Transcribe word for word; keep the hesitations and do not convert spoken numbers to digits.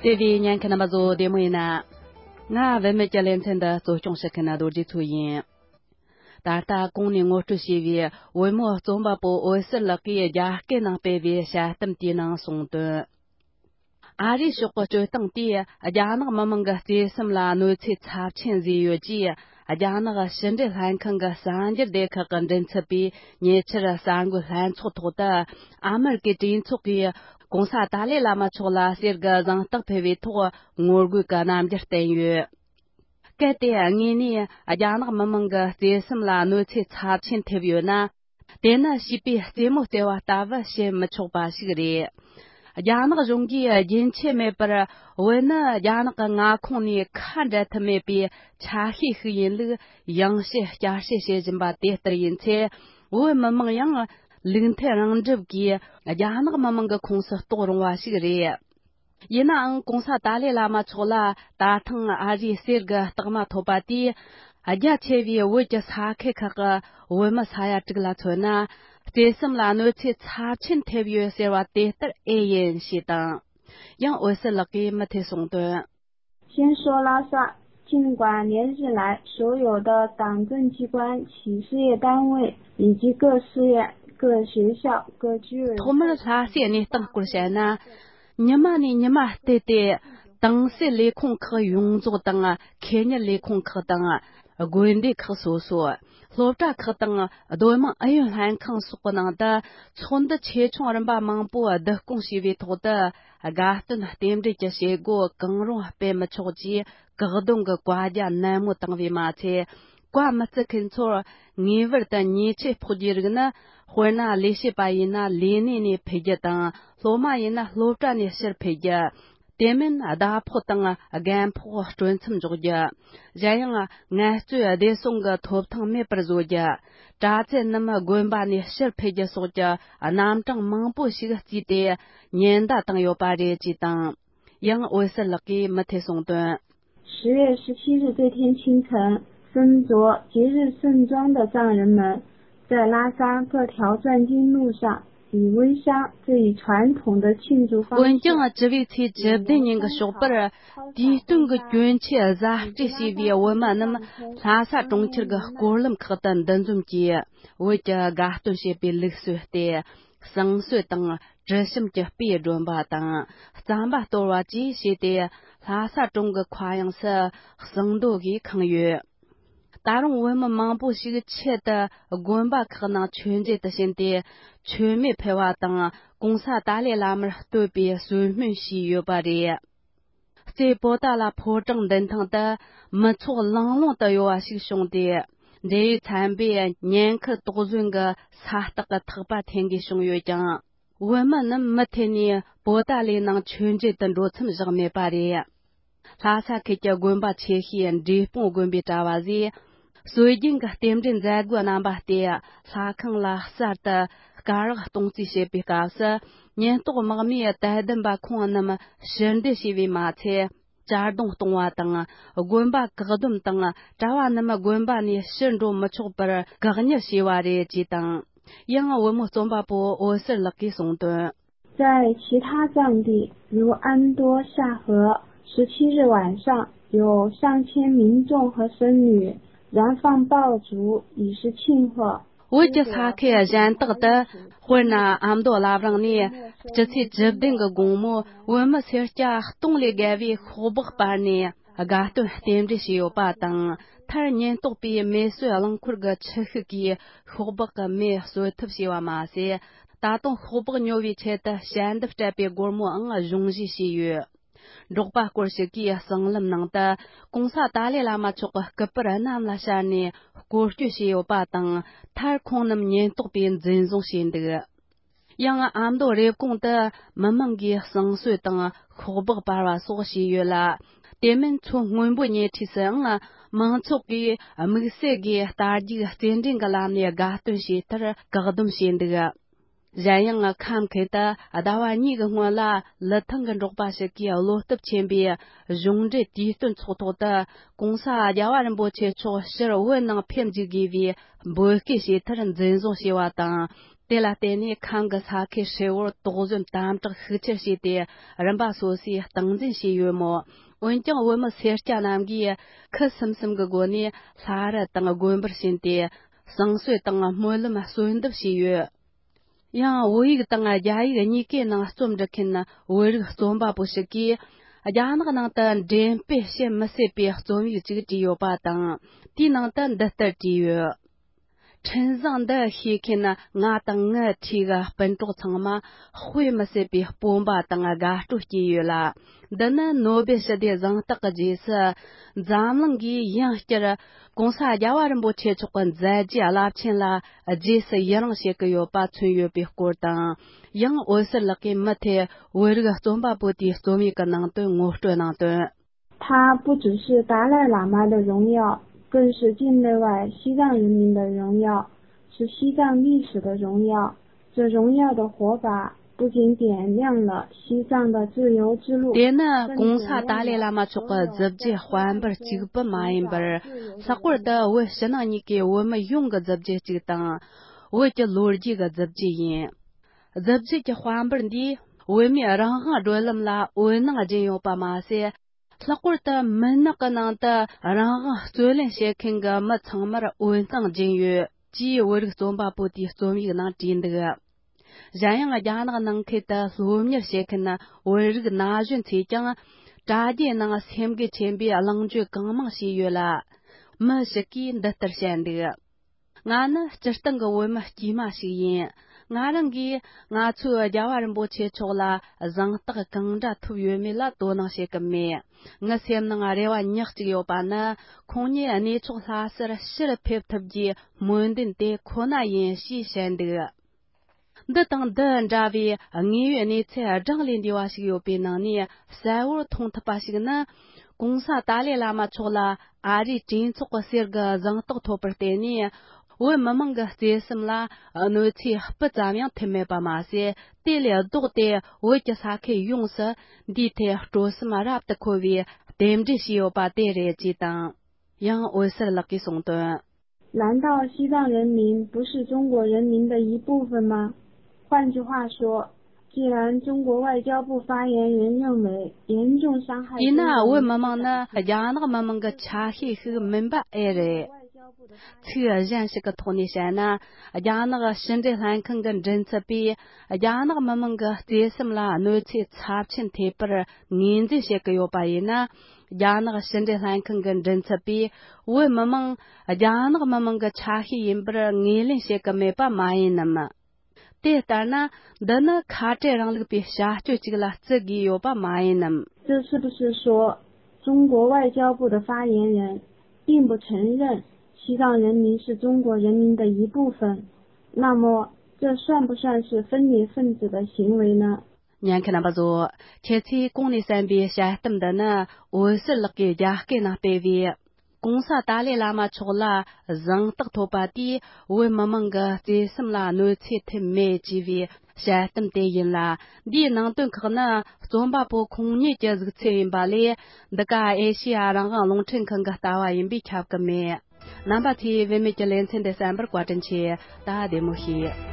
བརྩེ་བའི་ཉན་མཁན་རྣམ་པ་ཚོ་བདེ་མོ་ཡིན་ན། ང་བུད་མེད་ཀྱི་ལེ་ཚན་འདི་གཙོ་སྐྱོང་བྱེད་མཁན་རྡོ་རྗེ་མཚོ་ཡིན། ད་ལྟ་གོང་ནས་ངོ་སྤྲོད་བྱས་པའི་བུ་མོ་རྩོམ་པ་པོ་འོད་ཟེར་ལགས་ཀྱིས་རྒྱ་སྐད་ནང་སྤེལ་བའི་དཔྱད་གཏམ་དེའི་ནང་གསུངས་དོན། ཨ་རིའི་ཕྱོགས་ཀྱི་སྤྱོད་སྟངས་དེས་རྒྱ་ནག་མི་དམངས་ཀྱི་བརྩེ་སེམས་ལ་གནོད་འཚེ་ཚབས་ཆེན་བཟོས་ཡོད་ཅེས། རྒྱ་ནག་ཕྱི་འབྲེལ་ལྷན་ཁང་གི་གསར་འགྱུར་སྡེ་ཁག་གི་མགྲིན་ཚབ་པས་ཉེ་ཆར་གསར་འགོད་ལྷན་ཚོགས་ཐོག་ཏུ། ཨ་མེ་རི་ཀའི་གྲོས་ཚོགས་ཀྱིས་༧གོང་ས་ཏཱ་ལའི་བླ་མ་མཆོག་ལ་གསེར་གྱི་གཟེངས་རྟགས་ཕུལ་བའི་ཐོག་ངོ་རྒོལ་གྱི་རྣམ་འགྱུར་བསྟན་ཡོད། གལ་ཏེ་དངོས་གནས་རྒྱ་ནག་མི་དམངས་ཀྱི་བརྩེ་སེམས་ལ་གནོད་འཚེ་ཚབས་ཆེན་ཐེབས་ཡོད་ན། དེ་ནི་བྱིས་པའི་རྩེད་མོ་རྩེ་བ་ལྟ་བུ་བྱེད་མི་ཆོག་པ་ཞིག་རེད། རྒྱ་ནག་གཞུང་གིས་རྒྱུན་ཆད་མེད་པར་བོད་ནི་རྒྱ་ནག་གི་མངའ་ཁོངས་ནས་ཁ་འབྲལ་ཐབས་མེད་པའི་ཆ་ཤས་ཤིག་ཡིན་ལུགས་ཡང་བཤད་བསྐྱར་བཤད་བྱེད་བཞིན་པ་དེ་ལྟར་ཡིན་ཚེ། བོད་མི་དམངས་ཡང་ལུགས་མཐུན་རང་སྒྲུབ་ཀྱིས་རྒྱ་ནག་མི་དམངས་ཀྱི་ཁོངས་སུ་གཏོགས་རུང་བ་ཞིག་རེད། ཡིན་ནའང་༧གོང་ས་ཏཱ་ལའི་བླ་མ་མཆོག་ལ་ད་ཐེངས་ཨ་རིའི་གསེར་གྱི་རྟགས་མ་ཐོབ་པ་དེས། རྒྱ་ཆེ་བའི་བོད་ཀྱི་ས་ཁུལ་ཁག་གི་བོད་མི་ས་ཡ་དྲུག་ལ་མཚོན་ན། བརྩེ་སེམས་ལ་གནོད་འཚེ་ཚབས་ཆེན་ཐེབས་ཡོད་ཟེར་བ་དེ་ལྟར་ཨེ་ཡིན་ཞེས་དང་། ཡང་འོད་ཟེར་ལགས་ཀྱིས་མུ་མཐུད་གསུངས་དོན། 先说拉萨，尽管连日来所有的党政机关、企事业单位以及各寺院、各学校、各居委会， ཐོག་མར་ལྷ་སའི་གནས་སྟངས་སྐོར་བཤད་ན། ཉི་མ་ནས་ཉི་མ་བལྟས་ཏེ། ཏང་སྲིད་ལས་ཁུངས་ཁག་ཡོངས་རྫོགས་དང་། ཁེ་གཉེར་ལས་ཁུངས་ཁག་དང་། དགོན་སྡེ་ཁག་སོ་སོ། སློབ་གྲྭ་ཁག་དང་། སྡོད་དམངས་ཨུ་ཡོན་ལྷན་ཁང་སོགས་ཀྱི་ནང་དུ་ཚོགས་འདུ་ཆེ་ཆུང་རིམ་པ་མང་པོ་བསྡུ་སྐོང་བྱས་པའི་ཐོག་ཏུ། དགའ་སྟོན་རྟེན་འབྲེལ་གྱི་བྱེད་སྒོ་གང་རུང་སྤེལ་མི་ཆོག་ཅེས་བཀག་སྡོམ་གྱི་བཀའ་རྒྱ་ནན་མོ་བཏང་བས་མ་ཚད། བཀའ་མི་བརྩི་མཁན་ཚོར་ངེས་པར་དུ་ཉེས་ཆད་ཕོག་རྒྱུའི་རིགས་ནི། དཔེར་ན། ལས་བྱེད་པ་ཡིན་ན་ལས་གནས་ནས་ཕུད་རྒྱུ་དང་། སློབ་མ་ཡིན་ན་སློབ་གྲྭ་ནས་ཕྱིར་ཕུད་རྒྱུ། དེ་མིན། ཟླ་ཕོགས་དང་རྒན་ཕོགས་སྤྲོད་མཚམས་འཇོག་རྒྱུ། གཞན་ཡང་། ངལ་རྩོལ་བདེ་སྲུང་གི་ཐོབ་ཐང་མེད་པར་བཟོ་རྒྱུ། གྲྭ་བཙུན་རྣམས་དགོན་པ་ནས་ཕྱིར་ཕུད་རྒྱུ་སོགས་ཀྱི་རྣམ་གྲངས་མང་པོ་ཞིག་བརྩིས་ཏེ་ཉེན་བརྡ་བཏང་ཡོད་པ་རེད་ཅེས་དང་། ཡང་འོད་ཟེར་ལགས་ཀྱིས་མུ་མཐུད་གསུངས་དོན། 十月十七日这天清晨，身着节日盛装的藏人们，在拉萨各条转经路上，以煨香这一传统的庆祝方式。 འོན་ཀྱང་། 7月བཅུ་ཉིན་གྱི་ཞོགས་པར། དུས་སྟོན་གྱི་གྱོན་ཆས་གཟབ་སྤྲས་བྱས་པའི་བོད་མི་རྣམས་ལྷ་ས་གྲོང་ཁྱེར་གྱི་སྐོར་ལམ་ཁག་ཏུ་འདུ་འཛོམས་ཀྱིས། བོད་ཀྱི་དགའ་སྟོན་བྱེད་པའི་ལུགས་སྲོལ་ལྟར། བསང་གསོལ་དང་། དྲི་ཞིམ་གྱི་སྤོས་སྒྲོན་པ་དང་། རྩམ་པ་གཏོར་བ་བཅས་བྱས་ཏེ། ལྷ་ས་གྲོང་གི་མཁའ་དབྱིངས་སུ་བསང་རྡོ་གིས་ཁེངས་ཡོད། ད་རུང་བོད་མི་མང་པོ་ཞིག་ཆེད་དུ་དགོན་པ་ཁག་ནང་མཆོད་མཇལ་དུ་ཕྱིན་ཏེ། མཆོད་མེ་ཕུལ་བ་དང་། གོང་ས་ཏཱ་ལའི་བླ་མར་བསྟོད་པའི་གསོལ་སྨོན་ཞུས་ཡོད་པ་རེད། རྩེ་པོ་ཏཱ་ལ་ཕོ་བྲང་མདུན་ཐང་དུ་མི་ཚོགས་ལང་ལོང་དུ་གཡོ་བ་ཞིག་བྱུང་སྟེ། འབྲེལ་ཡོད་ཚན་པས་ཉེན་ཁར་དོགས་ཟོན་གྱི་ས་རྟགས་ཀྱི་ཐག་པ་འཐེན་དགོས་བྱུང་ཡོད་ཀྱང་། བོད་མི་རྣམས་མུ་མཐུད་ནས་པོ་ཏཱ་ལའི་ནང་མཆོད་མཇལ་དུ་འགྲོ་མཚམས་བཞག་མེད་པ་རེད། ལྷ་ས་ཁུལ་གྱི་དགོན་པ་ཆེ་ཤོས་འབྲས་སྤུངས་དགོན་པའི་གྲྭ་བ་ཟས། སྲོལ་རྒྱུན་གྱི་རྟེན་འབྲེལ་མཛད་སྒོའི་རྣམ་པ་སྟེ། ལྷ་ཁང་ལ་གསར་དུ་སྐ་རགས་གཏོང་རྩིས་བྱེད་པའི་སྐབས་སུ། ཉེན་རྟོག་དམག་མིས་དད་ལྡན་པ་ཁོང་རྣམས་ཕྱིར་འདེད་བྱས་པས་མ་ཚད། གཅར་རྡུང་གཏོང་བ་དང་། དགོན་པ་བཀག་སྡོམ་དང་། གྲྭ་བ་རྣམས་དགོན་པ་ནས་ཕྱིར་འགྲོ་མི་ཆོག་པར་བཀག་ཉར་བྱས་པ་རེད་ཅེས་དང་། ཡང་བུ་མོ་རྩོམ་པ་པོ་འོད་ཟེར་ལགས་ཀྱིས་གསུངས་དོན། 在其他藏地，如安多夏河，十七日晚上有上千民众和僧侣燃放爆竹，以示庆贺。 བོད་ཀྱི་ས་ཁུལ་གཞན་དག་ཏུ། དཔེར་ན། ཨ་མདོ་བླ་བྲང་ནས་སྤྱི་ཚེས་བཅུ་བདུན་གྱི་དགོང་མོ་བོད་མི་སེར་སྐྱ་སྟོང་ལས་བརྒལ་བས་ཤོག་སྦག་སྤར་ནས་དགའ་སྟོན་རྟེན་འབྲེལ་བྱས་ཡོད་པ་དང་། མཐར་ཉེན་རྟོག་པས་མེ་གསོད་རླངས་འཁོར་གྱི་ཆུ་ཤུགས་ཀྱིས་ཤོག་སྦག་གི་མེ་གསོད་ཐབས་བྱས་པ་མ་ཟད། ད་དུང་ཤོག་སྦག་ཉོ་བའི་ཆེད་དུ་ཞལ་འདེབས་སྤྲད་པའི་སྒོར་མོའང་གཞུང་བཞེས་བྱས་ཡོད། འབྲོག་པ་སྐོར་ཞིག་གིས་གསང་ལམ་ནང་དུ་༧གོང་ས་ཏཱ་ལའི་བླ་མ་མཆོག་གི་སྐུ་པར་གནམ་ལ་ཤར་ནས་སྐོར་སྐྱོད་བྱས་ཡོད་པ་དང་། མཐར་ཁོང་རྣམས་ཉེན་རྟོག་པས་འཛིན་བཟུང་བྱས་འདུག། ཡང་ཨ་མདོ་རེབ་གོང་དུ་མི་མང་གིས་བསང་གསོལ་དང་ཤོག་སྦག་སྤར་བ་སོགས་བྱས་ཡོད་ལ། དེ་མིན་མཚོ་སྔོན་པོའི་ཉེ་འཁྲིས་སུའང་མང་ཚོགས་ཀྱིས་དམིགས་བསལ་གྱིས་རྟ་རྒྱུག་རྩེད་འགྲན་གྱི་ལམ་ནས་དགའ་སྟོན་བྱས་མཐར་བཀག་སྡོམ་བྱས་འདུག། གཞན་ཡང་ཁམས་ཁུལ་དུ་ཟླ་བ་གཉིས་ཀྱི་སྔོན་ལ་ལི་ཐང་གི་འབྲོག་པ་ཞིག་གིས་བློ་སྟོབས་ཆེན་པོས་གཞུང་འབྲེལ་དུས་སྟོན་ཚོགས་ཐོག་ཏུ་༸གོང་ས་༸རྒྱལ་བ་རིན་པོ་ཆེ་མཆོག་ཕྱིར་བོད་ནང་ཕེབས་འཇུག་དགོས་པའི་འབོད་སྐུལ་བྱས་མཐར་འཛིན་བཟུང་བྱས་པ་དང་། དེ་ལ་བརྟེན་ནས་ཁམས་ཀྱི་ས་ཁུལ་ཧྲིལ་བོར་དོགས་ཟོན་དམ་དྲག་ཤུགས་ཆེར་བྱས་ཏེ། རིམ་པ་སོ་སོས་སྟངས་འཛིན་བྱས་ཡོད་མོད། འོན་ཀྱང་བོད་མི་སེར་སྐྱ་རྣམས་ཀྱིས་ཁུ་སིམ་སིམ་གྱི་སྒོ་ནས་ལྷ་རི་དང་དགོན་པར་ཕྱིན་ཏེ། བསང་གསོལ་དང་སྨོན་ལམ་གསོལ་འདེབས་བྱས་ཡོད། ཡང་བོད་ཡིག་དང་རྒྱ་ཡིག་གཉིས་ཀའི་ནང་རྩོམ་འབྲི་མཁན་བོད་རིགས་རྩོམ་པ་པོ་ཞིག་གིས། རྒྱ་ནག་ནང་དུ་འགྲེམས་སྤེལ་བྱེད་མི་སྲིད་པའི་རྩོམ་ཡིག་ཅིག་བྲིས་ཡོད་པ་དང་། དེའི་ནང་དུ་འདི་ལྟར་བྲིས་ཡོད། འཕྲིན་བཟང་འདི་ཤེས་མཁན་ང་དང་ངའི་འཁྲིས་ཀྱི་སྤུན་གྲོགས་ཚང་མ་དཔེ་མི་སྲིད་པའི་སྤོབས་པ་དང་དགའ་སྤྲོ་སྐྱེས་ཡོད་ལ། འདི་ནི་ནོ་སྦེལ་ཞི་བདེ་གཟེངས་རྟགས་ཀྱི་རྗེས་སུ། འཛམ་གླིང་གིས་ཡང་བསྐྱར་༸གོང་ས་༸རྒྱལ་བ་རིན་པོ་ཆེ་མཆོག་གི་མཛད་རྗེས་རླབས་ཆེན་ལ་རྗེས་སུ་ཡི་རང་བྱེད་ཀྱི་ཡོད་པ་མཚོན་ཡོད་པའི་སྐོར་དང་། ཡང་འོད་ཟེར་ལགས་ཀྱིས་མུ་མཐུད་བོད་རིགས་རྩོམ་པ་པོ་དེའི་རྩོམ་ཡིག་གི་ནང་དོན་ངོ་སྤྲོད་གནང་དོན། 他不只是达赖喇嘛的荣耀，更是境内外西藏人民的荣耀，是西藏历史的荣耀。这荣耀的活法不仅点亮了西藏的自由之路， དེ་ནི་༸གོང་ས་ཏཱ་ལའི་བླ་མ་མཆོག་གི་གཟི་བརྗིད་དཔལ་འབར་གཅིག་པུ་མ་ཡིན་པར། ལྷག་པར་དུ་བོད་ཕྱི་ནང་གཉིས་ཀའི་བོད་མི་ཡོངས་ཀྱི་གཟི་བརྗིད་ཅིག་དང་། བོད་ཀྱི་ལོ་རྒྱུས་ཀྱི་གཟི་བརྗིད་ཡིན། གཟི་བརྗིད་ཀྱི་དཔལ་འབར་འདིས་བོད་མིའི་རང་དབང་བགྲོད་ལམ་ལ་འོད་སྣང་སྦྱིན་ཡོད་པ་མ་ཟད། ལྷག་པར་དུ་མུན་ནག་གི་ནང་དུ་རང་དབང་རྩོད་ལེན་བྱེད་མཁན་གྱི་མི་ཚང་མར་འོད་སྣང་སྦྱིན་ཡོད་ཅེས་བོད་རིགས་རྩོམ་པ་པོ་དེའི་རྩོམ་ཡིག་ནང་བྲིས་འདུག། གཞན་ཡང་རྒྱ་ནག་ནང་ཁུལ་དུ་སློབ་གཉེར་བྱེད་མཁན་བོད་རིགས་ན་གཞོན་ཚོས་ཀྱང་། དྲ་རྒྱའི་ནང་སེམས་འགུལ་ཆེན་པོས་གླེང་བརྗོད་གང་མང་བྱས་ཡོད་ལ། མི་ཞིག་གིས་འདི་ལྟར་བཤད་འདུག། ང་ནི་སྤྱིར་བཏང་གི་བོད་མི་དཀྱུས་མ་ཞིག་ཡིན། ང་རང་གིས་ང་ཚོའི་རྒྱལ་བ་རིན་པོ་ཆེ་མཆོག་ལ་གཟེངས་རྟགས་གང་འདྲ་ཐོབ་ཡོད་མེད་ལ་དོ་སྣང་བྱེད་ཀྱི་མེད། ངའི་སེམས་ནང་རེ་བ་ཉག་གཅིག་ཡོད་པ་ནི། ཁོང་ཉིད་གནས་མཆོག་ལྷ་སར་ཕྱིར་ཕེབས་ཐུབ་རྒྱུའི་སྨོན་འདུན་དེ་ཁོ་ན་ཡིན་ཞེས་བཤད་འདུག། འདི་དང་འདི་འདྲ་བའི་དངོས་ཡོད་གནས་ཚུལ་བགྲང་ལས་འདས་པ་ཞིག་ཡོད་པའི་ནང་ནས་གསལ་བོར་མཐོང་ཐུབ་པ་ཞིག་ནི། ༸གོང་ས་ཏཱ་ལའི་བླ་མ་མཆོག་ལ་ཨ་རིའི་གྲོས་ཚོགས་ཀྱི་གསེར་གྱི་གཟེངས་རྟགས་ཐོབ་པར་བརྟེན་ནས། བོད་མི་མང་གི་བརྩེ་སེམས་ལ་གནོད་འཚེ་སྤུ་ཙམ་ཡང་ཐེབས་མེད་པ་མ་ཟད། དེ་ལས་ལྡོག་སྟེ་བོད་ཀྱི་ས་ཁུལ་ཡོངས་སུ་འདིའི་ཐད་སྤྲོ་སེམས་རབ་ཏུ་འཁོལ་བའི་རྟེན་འབྲེལ་བྱས་ཡོད་པ་དེ་རེད་ཅེས་དང་། ཡང་འོད་ཟེར་ལགས་ཀྱིས་གསུངས་དོན། 难道西藏人民不是中国人民的一部分吗？换句话说，既然中国外交部发言人认为严重伤害 དེས་ན་བོད་མི་མང་ནི་རྒྱ་ནག་མི་མང་གི་ཆ་ཤས་ཤིག་མིན་པ་ཨེ་རེད། ཚིག་གཞན་ཞིག་གི་ཐོག་ནས་བཤད་ན། རྒྱ་ནག་ཕྱི་འབྲེལ་ལྷན་ཁང་གི་མགྲིན་ཚབ་པས་རྒྱ་ནག་མི་མང་གི་བརྩེ་སེམས་ལ་གནོད་འཚེ་ཚབས་ཆེན་ཐེབས་པར་ངོས་འཛིན་བྱེད་ཀྱི་ཡོད་པ་ཡིན་ན། རྒྱ་ནག་ཕྱི་འབྲེལ་ལྷན་ཁང་གི་མགྲིན་ཚབ་པས་བོད་མི་མང་རྒྱ་ནག་མི་མང་གི་ཆ་ཤས་ཡིན་པར་ངོས་ལེན་བྱེད་ཀྱི་མེད་པ་མ་ཡིན་ནམ། དེ་ལྟར་ན། འདི་ནི་ཁ་བྲལ་རིང་ལུགས་པའི་བྱ་སྤྱོད་ཅིག་ལ་བརྩི་དགོས་ཡོད་པ་མ་ཡིན་ནམ། 这是不是说，中国外交部的发言人并不承认西藏人民是中国人民的一部分？那么，这算不算是分裂分子的行为呢？ ཉན་མཁན་རྣམ་པ་ཚོ། ཁྱེད་ཚོས་གོང་ནས་གསན་པའི་དཔྱད་གཏམ་འདི་ནི་འོད་ཟེར་ལགས་ཀྱིས་རྒྱ་སྐད་ནང་སྤེལ་བའི། ༸གོང་ས་ཏཱ་ལའི་བླ་མ་མཆོག་ལ་གཟེངས་རྟགས་ཐོབ་པ་དེས་བོད་མི་མང་གི་བརྩེ་སེམས་ལ་གནོད་འཚེ་ཐེབས་མེད་ཅེས་པའི་དཔྱད་གཏམ་དེ་ཡིན་ལ། འདིའི་ནང་དོན་ཁག་ནི་རྩོམ་པ་པོ་ཁོང་ཉིད་ཀྱི་གཟིགས་ཚུལ་ཡིན་པ་ལས། འདི་ག་ཨེ་ཤེ་ཡ་རང་དབང་རླུང་འཕྲིན་ཁང་གི་ལྟ་བ་ཡིན་པས་ཁྱབ་ཀྱི་མེད། རྣམ་པ་ཚོས་བུད་མེད་ཀྱི་ལེ་ཚན་འདི་གསན་པར་བཀའ་དྲིན་ཆེ། ད་བདེ་མོ་བྱོས།